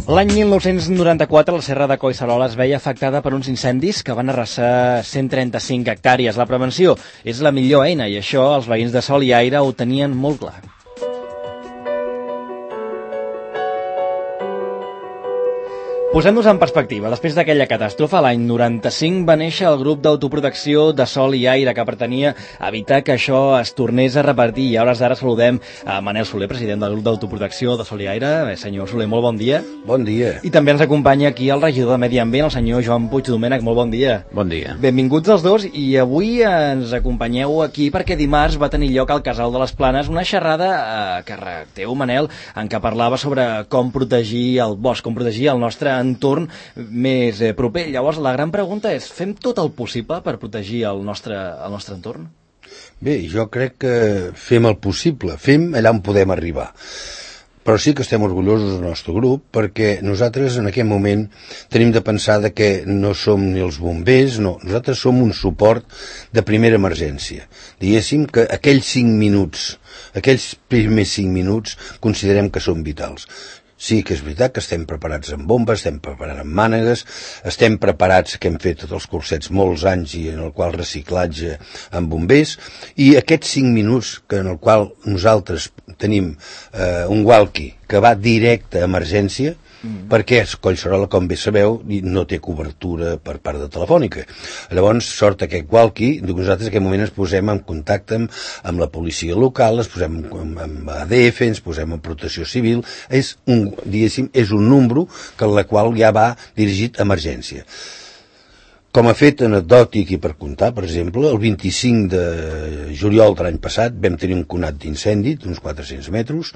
L'any 1994 la Serra de Collserola es veia afectada per uns incendis que van arrasar 135 hectàrees. La prevenció és la millor eina i això els veïns de Sol i Aire ho tenien molt clar. Posem-nos en perspectiva. Després d'aquella catàstrofe, l'any 95 va néixer el grup d'autoprotecció de Sol i Aire, que pretenia evitar que això es tornés a repetir. I a hores d'ara saludem a Manel Soler, president del grup d'autoprotecció de Sol i Aire. Senyor Soler, molt bon dia. Bon dia. I també ens acompanya aquí el regidor de Medi Ambient, el senyor Joan Puig Domènech. Molt bon dia. Bon dia. Benvinguts els dos, i avui ens acompanyeu aquí perquè dimarts va tenir lloc al Casal de les Planes una xerrada que teu, Manel, en què parlava sobre com protegir el bosc, com protegir el nostre entorn més proper. Llavors, la gran pregunta és, fem tot el possible per protegir el nostre entorn? Bé, jo crec que fem el possible, fem allà on podem arribar. Però sí que estem orgullosos del nostre grup perquè nosaltres en aquest moment tenim de pensar que no som ni els bombers, no, nosaltres som un suport de primera emergència. Diguéssim que aquells primers 5 minuts considerem que són vitals. Sí que és veritat que estem preparats amb bombes, estem preparats amb mànegues, estem preparats, que hem fet tots els cursets molts anys i en el qual reciclatge amb bombers, i aquests 5 minuts en el qual nosaltres tenim un walkie que va directe a emergència, perquè Collserola, com bé sabeu, no té cobertura per part de Telefònica. Llavors sort aquest walkie, nosaltres en aquest moment ens posem en contacte amb la policia local, ens posem amb ADF, ens posem en protecció civil, és un número que la qual ja va dirigit a emergència. Com a fet anecdòtic i per comptar, per exemple, el 25 de juliol de l'any passat vam tenir un conat d'incendi d'uns 400 metres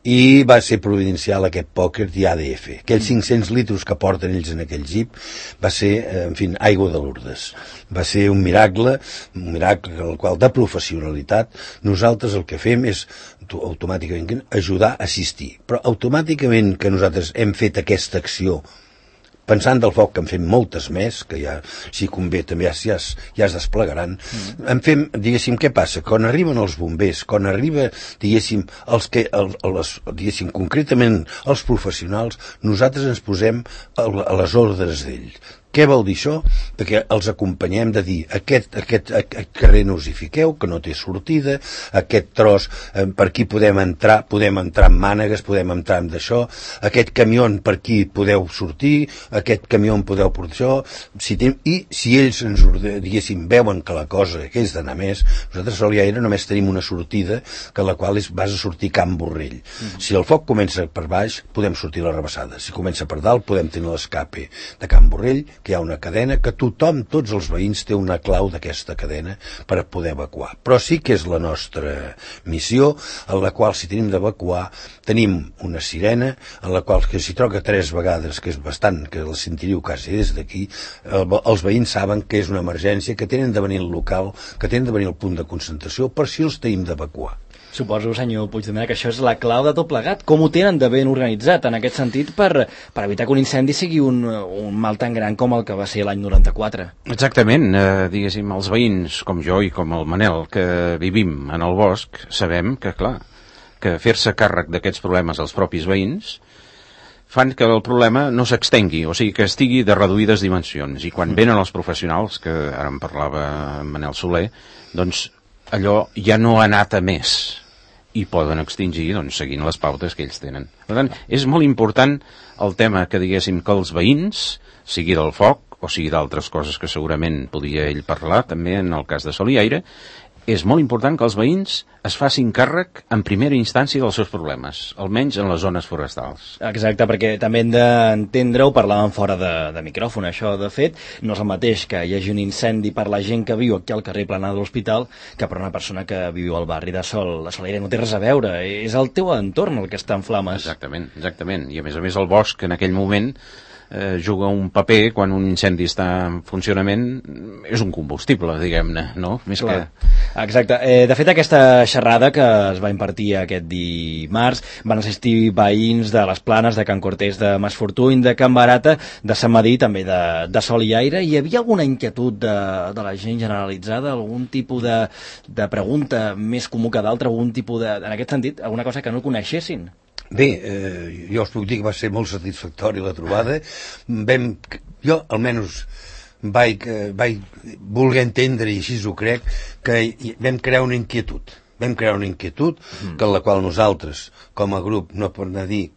i va ser providencial aquest pòquer d'ADF. Aquells 500 litres que porten ells en aquell jeep va ser, en fi, aigua de Lourdes. Va ser un miracle en el qual, de professionalitat, nosaltres el que fem és automàticament ajudar a assistir. Però automàticament que nosaltres hem fet aquesta acció pensant del foc, que en fem moltes més, que ja, si convé, també ja es desplegaran, en fem, diguéssim, què passa? Quan arriben els bombers, quan arriba, diguéssim, concretament els professionals, nosaltres ens posem a les ordres d'ells. Què vol dir això? Perquè els acompanyem de dir aquest carrer no us hi fiqueu, que no té sortida, aquest tros per aquí podem entrar amb mànegues, podem entrar amb d'això, aquest camió per aquí podeu sortir, aquest camió podeu portar això, i si ells ens, diguéssim, veuen que la cosa que és d'anar més, nosaltres a Sol i Aire només tenim una sortida, que la qual vas a sortir Can Borrell. Si el foc comença per baix, podem sortir a la rebassada. Si comença per dalt, podem tenir l'escape de Can Borrell, que hi ha una cadena que tothom, tots els veïns, té una clau d'aquesta cadena per poder evacuar. Però sí que és la nostra missió, en la qual, si tenim d'evacuar, tenim una sirena, en la qual, que si troca 3 vegades, que és bastant, que la sentiríeu quasi des d'aquí, els veïns saben que és una emergència, que tenen de venir al local, que tenen de venir al punt de concentració, per si els tenim d'evacuar. Suposo, senyor Puigdomènech, que això és la clau de tot plegat. Com ho tenen de ben organitzat en aquest sentit per evitar que un incendi sigui un mal tan gran com el que va ser l'any 94? Exactament, diguéssim, els veïns com jo i com el Manel que vivim en el bosc sabem que, clar, que fer-se càrrec d'aquests problemes als propis veïns fan que el problema no s'extengui, o sigui, que estigui de reduïdes dimensions. I quan venen els professionals, que ara en parlava Manel Soler, doncs allò ja no ha anat a més i poden extingir, doncs, seguint les pautes que ells tenen. Per tant, és molt important el tema que diguéssim que els veïns, sigui del foc o sigui d'altres coses que segurament podia ell parlar, també en el cas de Sol i Aire, és molt important que els veïns es facin càrrec en primera instància dels seus problemes, almenys en les zones forestals. Exacte, perquè també hem d'entendre, ho parlàvem fora de micròfon, això de fet, no és el mateix que hi hagi un incendi per la gent que viu aquí al carrer Planà de l'Hospital que per una persona que viu al barri de Sol i Aire. No té res a veure, és el teu entorn el que està en flames. Exactament, i a més el bosc en aquell moment juga un paper quan un incendi està en funcionament, és un combustible, diguem-ne, no? Més que... Exacte. De fet, aquesta xerrada que es va impartir aquest dimarts van assistir veïns de les Planes, de Can Cortés, de Masfortuny, de Can Barata, de Sant Madí, també de Sol i Aire. Hi havia alguna inquietud de la gent generalitzada, algun tipus de pregunta més comú que d'altra, algun tipus de... En aquest sentit, alguna cosa que no coneixessin? Bé, jo us puc dir que va ser molt satisfactori la trobada. Jo, almenys, vaig voler entendre, i així ho crec, que vam crear una inquietud. Que en la qual nosaltres, com a grup, no per anar a dir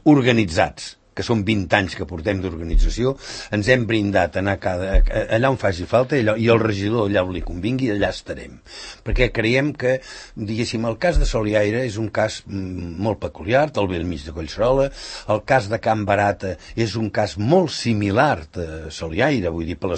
organitzats, que són 20 anys que portem d'organització, ens hem brindat a anar allà on faci falta, i el regidor allà on li convingui, allà estarem. Perquè creiem que, diguéssim, el cas de Soliaire és un cas molt peculiar, al bell mig de Collserola. El cas de Can Barata és un cas molt similar a Soliaire, vull dir, per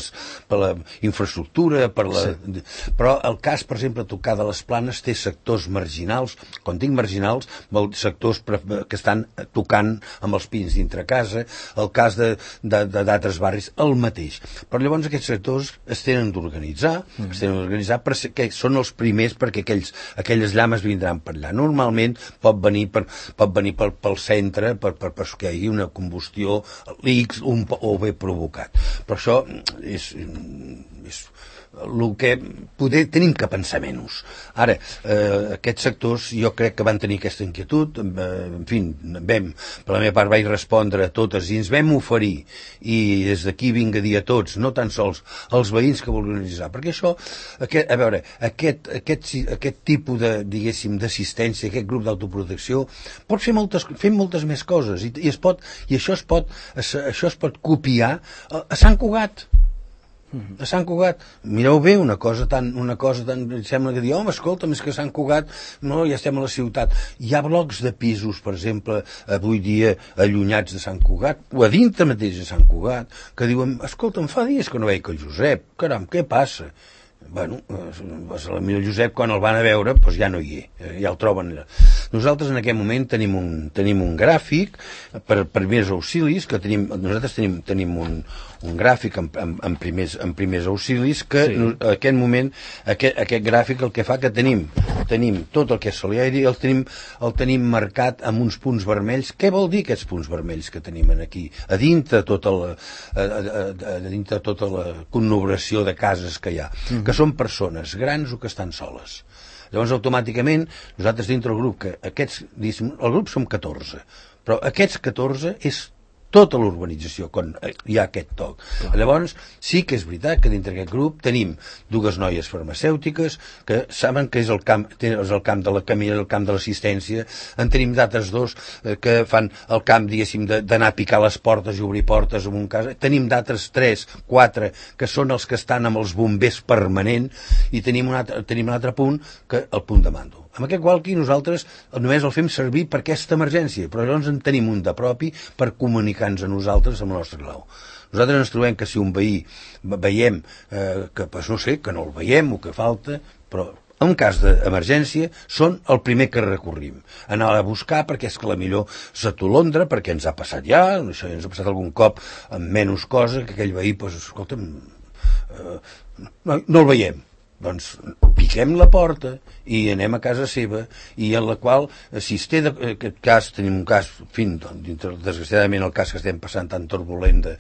la infraestructura, però el cas, per exemple, a tocar de les Planes té sectors marginals. Quan dic marginals, sectors que estan tocant amb els pins dintre casa, el cas d'altres barris, el mateix. Però llavors aquests sectors es tenen d'organitzar, perquè són els primers, perquè aquelles llames vindran per allà. Normalment pot venir pel centre, perquè hi hagi una combustió X o bé provocat. Però això és el que poder tenim que pensar menys. Ara, aquests sectors jo crec que van tenir aquesta inquietud, en fi, per la meva part vaig respondre a totes i ens vam oferir, i des d'aquí vinc a dir a tots, no tan sols als veïns que volen organitzar, perquè això, a veure, aquest tipus de, diguéssim, d'assistència, aquest grup d'autoprotecció pot fer moltes més coses, i això es pot copiar a Sant Cugat. A Sant Cugat, mireu bé, una cosa tan sembla que dir, home, escolta'm, és que Sant Cugat, no, ja estem a la ciutat. Hi ha blocs de pisos, per exemple, avui dia allunyats de Sant Cugat, o a dintre mateix de Sant Cugat, que diuen, escolta'm, fa dies que no veig el Josep, caram, què passa? Bueno, potser el Josep, quan el van a veure, doncs ja no hi és, ja el troben allà. Nosaltres en aquest moment tenim un gràfic per primers auxilis, nosaltres tenim un gràfic en primers auxilis, que sí. En aquest moment, aquest gràfic el que fa que tenim tot el que és Soliaire, el tenim marcat amb uns punts vermells. Què vol dir aquests punts vermells que tenim aquí? A dintre tota la conurbació de cases que hi ha, que són persones grans o que estan soles. Llavors, automàticament, nosaltres dintre el grup, el grup som 14, però aquests 14 és tota l'urbanització, quan hi ha aquest toc. Llavors, sí que és veritat que dintre aquest grup tenim dues noies farmacèutiques que saben que és el camp de la camilla, el camp de l'assistència. En tenim d'altres dos que fan el camp, diguéssim, d'anar a picar les portes i obrir portes en un cas. Tenim d'altres 3, 4 que són els que estan amb els bombers permanent, i tenim un altre punt, que el punt de mando. Amb aquest qualqui nosaltres només el fem servir per aquesta emergència, però llavors en tenim un de propi per comunicar-nos a nosaltres amb el nostre clau. Nosaltres ens trobem que si un veí veiem que, no sé, que no el veiem o que falta, però en cas d'emergència són el primer que recorrim. Anar a buscar perquè és que la millor s'atolondra, perquè ens ha passat ja, ens ha passat algun cop amb menys cosa, que aquell veí, doncs, escolta'm, no el veiem. Doncs piquem la porta i anem a casa seva, i en la qual, si es té aquest cas, tenim un cas, desgraciadament el cas que estem passant tan turbulent de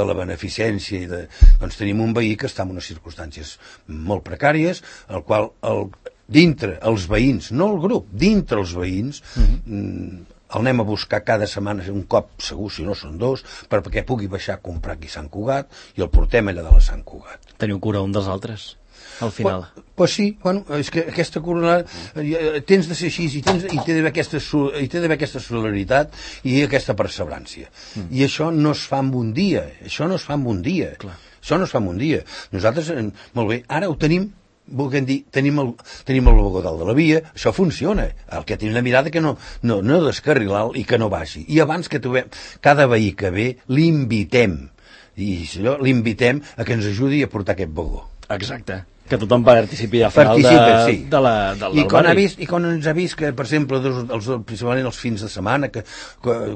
la beneficència, doncs tenim un veí que està en unes circumstàncies molt precàries, el qual dintre els veïns, no el grup, dintre els veïns, el anem a buscar cada setmana, un cop segur, si no són dos, perquè pugui baixar a comprar aquí a Sant Cugat, i el portem allà de la Sant Cugat. Teniu cura un dels altres, al final. Pues sí, bueno, és que aquesta corona tens de ser així, i té d'haver aquesta solidaritat i aquesta perseverància. I això no es fa en un dia, Clar. Això no es fa en un dia. Nosaltres, molt bé, ara ho tenim, volguem dir, tenim el vagó dalt de la via, això funciona. El que tenim la mirada que no descarrilar i que no baixi. I abans que trobem cada veí que ve, l'invitem a que ens ajudi a portar aquest vagó. Exacte. Que tothom participi al final del barri. I quan ens ha vist que, per exemple, principalment els fins de setmana, que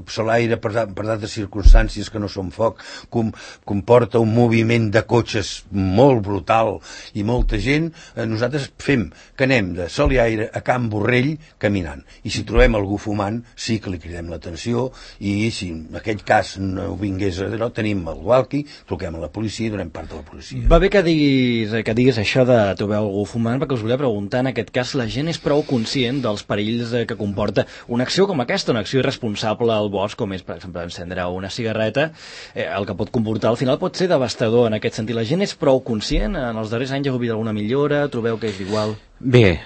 Soliaire, per d'altres circumstàncies que no són foc, comporta un moviment de cotxes molt brutal i molta gent, nosaltres fem que anem de Soliaire a Can Borrell caminant. I si trobem algú fumant, sí que li cridem l'atenció, i si en aquell cas no vingués, tenim el walkie, truquem a la policia i donem part de la policia. Va bé que diguis això, això de trobar algú fumant, perquè us volia preguntar, en aquest cas, la gent és prou conscient dels perills que comporta una acció com aquesta, una acció irresponsable al bosc, com és, per exemple, encendre una cigarreta, el que pot comportar al final pot ser devastador en aquest sentit. La gent és prou conscient? En els darrers anys heu vist alguna millora? Trobeu que és igual? Bé,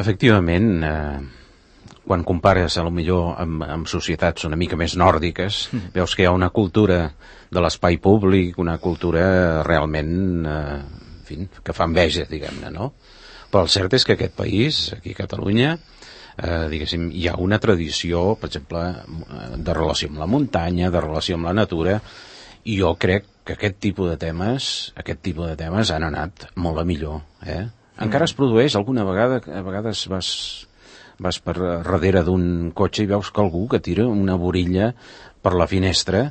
efectivament, quan compares a lo millor amb societats una mica més nòrdiques, veus que hi ha una cultura de l'espai públic, una cultura realment, en fi, que fa enveja, diguem-ne, no? Però el cert és que aquest país, aquí a Catalunya, diguéssim, hi ha una tradició, per exemple, de relació amb la muntanya, de relació amb la natura, i jo crec que aquest tipus de temes han anat molt a millor, Encara es produeix alguna vegada, a vegades vas per darrere d'un cotxe i veus que algú que tira una borilla per la finestra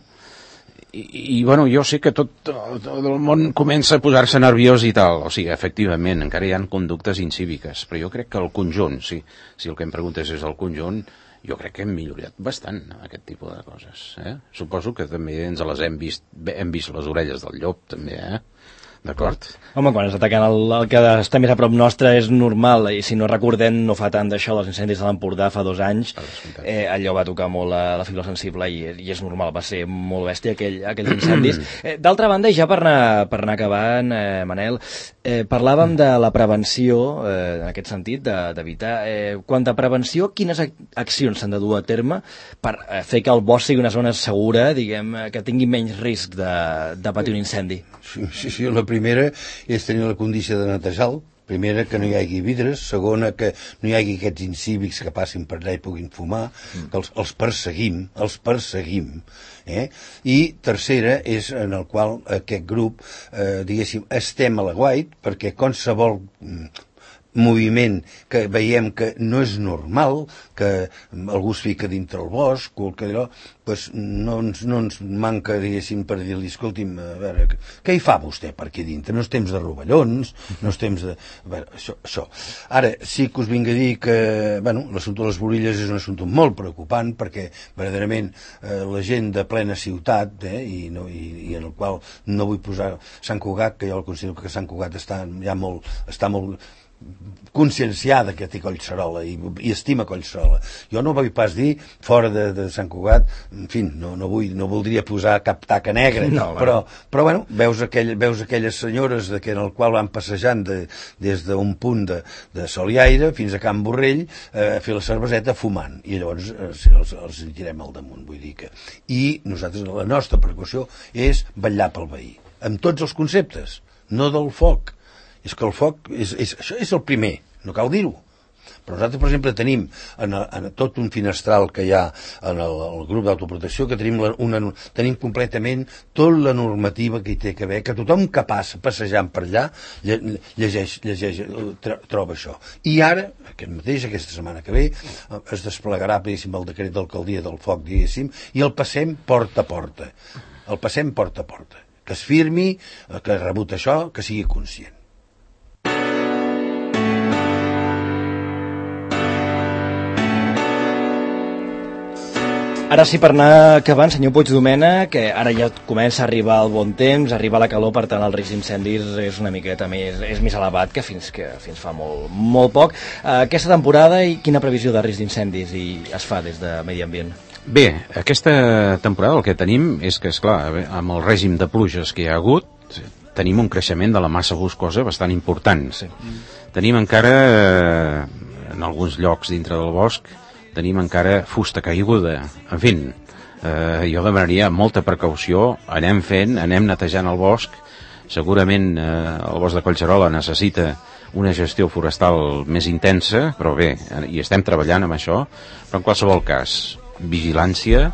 i bueno, jo sé que tot el món comença a posar-se nerviós i tal, o sigui, efectivament, encara hi ha conductes incíviques, però jo crec que el conjunt, si el que em preguntes és el conjunt, jo crec que hem millorat bastant aquest tipus de coses, Suposo que també ens les hem vist les orelles del llop, també, D'acord? Home, quan es ataquen el que està més a prop nostre és normal, i si no recordem, no fa tant d'això, dels incendis de l'Empordà fa 2 anys, allò va tocar molt la fibra sensible i és normal, va ser molt bèstia aquells incendis. D'altra banda, i ja per anar acabant, Manel, parlàvem de la prevenció, en aquest sentit, d'evitar. Quant a prevenció, quines accions s'han de dur a terme per fer que el bosc sigui una zona segura, diguem, que tingui menys risc de patir un incendi? Sí, la primera és tenir la condició de netejar-lo. Primera, que no hi hagi vidres. Segona, que no hi hagi aquests incívics que passin per allà i puguin fumar, que els perseguim. I tercera és en el qual aquest grup, diguéssim, estem a l'aguait, perquè qualsevol moviment que veiem que no és normal, que algú es fica dintre el bosc o que allò, doncs no ens manca, diguéssim, per dir-li, escolti'm, a veure, què hi fa vostè per aquí dintre? No és temps de rovellons, no és temps de... A veure, això. Ara, sí que us vinc a dir que, bueno, l'assumpte de les borilles és un assumpte molt preocupant perquè, verdaderament, la gent de plena ciutat, i en el qual no vull posar Sant Cugat, que jo considero que Sant Cugat està molt conscienciada que té Collserola i estima Collserola. Jo no vull pas dir fora de Sant Cugat, en fi, no voldria posar cap taca negra, però bueno, veus aquelles senyores en el qual van passejant des d'un punt de sol i aire fins a Can Borrell a fer la cerveseta fumant, i llavors els tirem al damunt, vull dir que... I nosaltres, la nostra precaució és vetllar pel veí, amb tots els conceptes, no del foc. És que el foc, això és el primer, no cal dir-ho. Però nosaltres, per exemple, tenim en tot un finestral que hi ha en el grup d'autoprotecció, que tenim completament tota la normativa que hi té que haver, que tothom que passa passejant per allà llegeix, troba això. I ara, aquesta setmana que ve, es desplegarà, diguéssim, el decret d'alcaldia del foc, diguéssim, i el passem porta a porta. Que es firmi, que ha rebut això, que sigui conscient. Ara sí, per anar acabant, senyor Puigdomena, que ara ja comença a arribar el bon temps, arriba la calor, per tant el risc d'incendis és una miqueta més elevat que fins fa molt poc. Aquesta temporada, i quina previsió de risc d'incendis es fa des de Medi Ambient? Bé, aquesta temporada el que tenim és que, esclar, amb el règim de pluges que hi ha hagut, tenim un creixement de la massa boscosa bastant important. Sí. Tenim encara, en alguns llocs dintre del bosc, tenim encara fusta caiguda. En fi, jo demanaria molta precaució, anem netejant el bosc. Segurament el bosc de Collserola necessita una gestió forestal més intensa, però bé, hi estem treballant amb això, però en qualsevol cas, vigilància,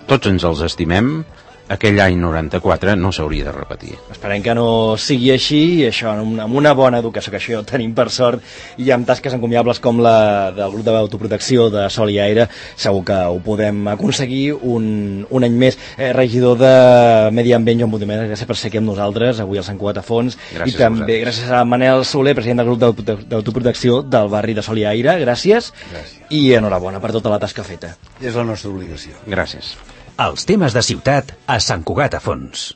tots ens els estimem, aquell any 94 no s'hauria de repetir. Esperem que no sigui així, i això amb una bona educació, que això ja ho tenim per sort, i amb tasques encomiables com la del grup d'autoprotecció de Sol i Aire, segur que ho podem aconseguir un any més. Regidor de Medi Ambient, Joan Puigdomena, gràcies per ser aquí amb nosaltres avui al Sant Cugat a Fons, i també gràcies a Manel Soler, president del grup d'autoprotecció del barri de Sol i Aire, gràcies, i enhorabona per tota la tasca feta. És la nostra obligació. Gràcies. Els temes de ciutat a Sant Cugat a Fons.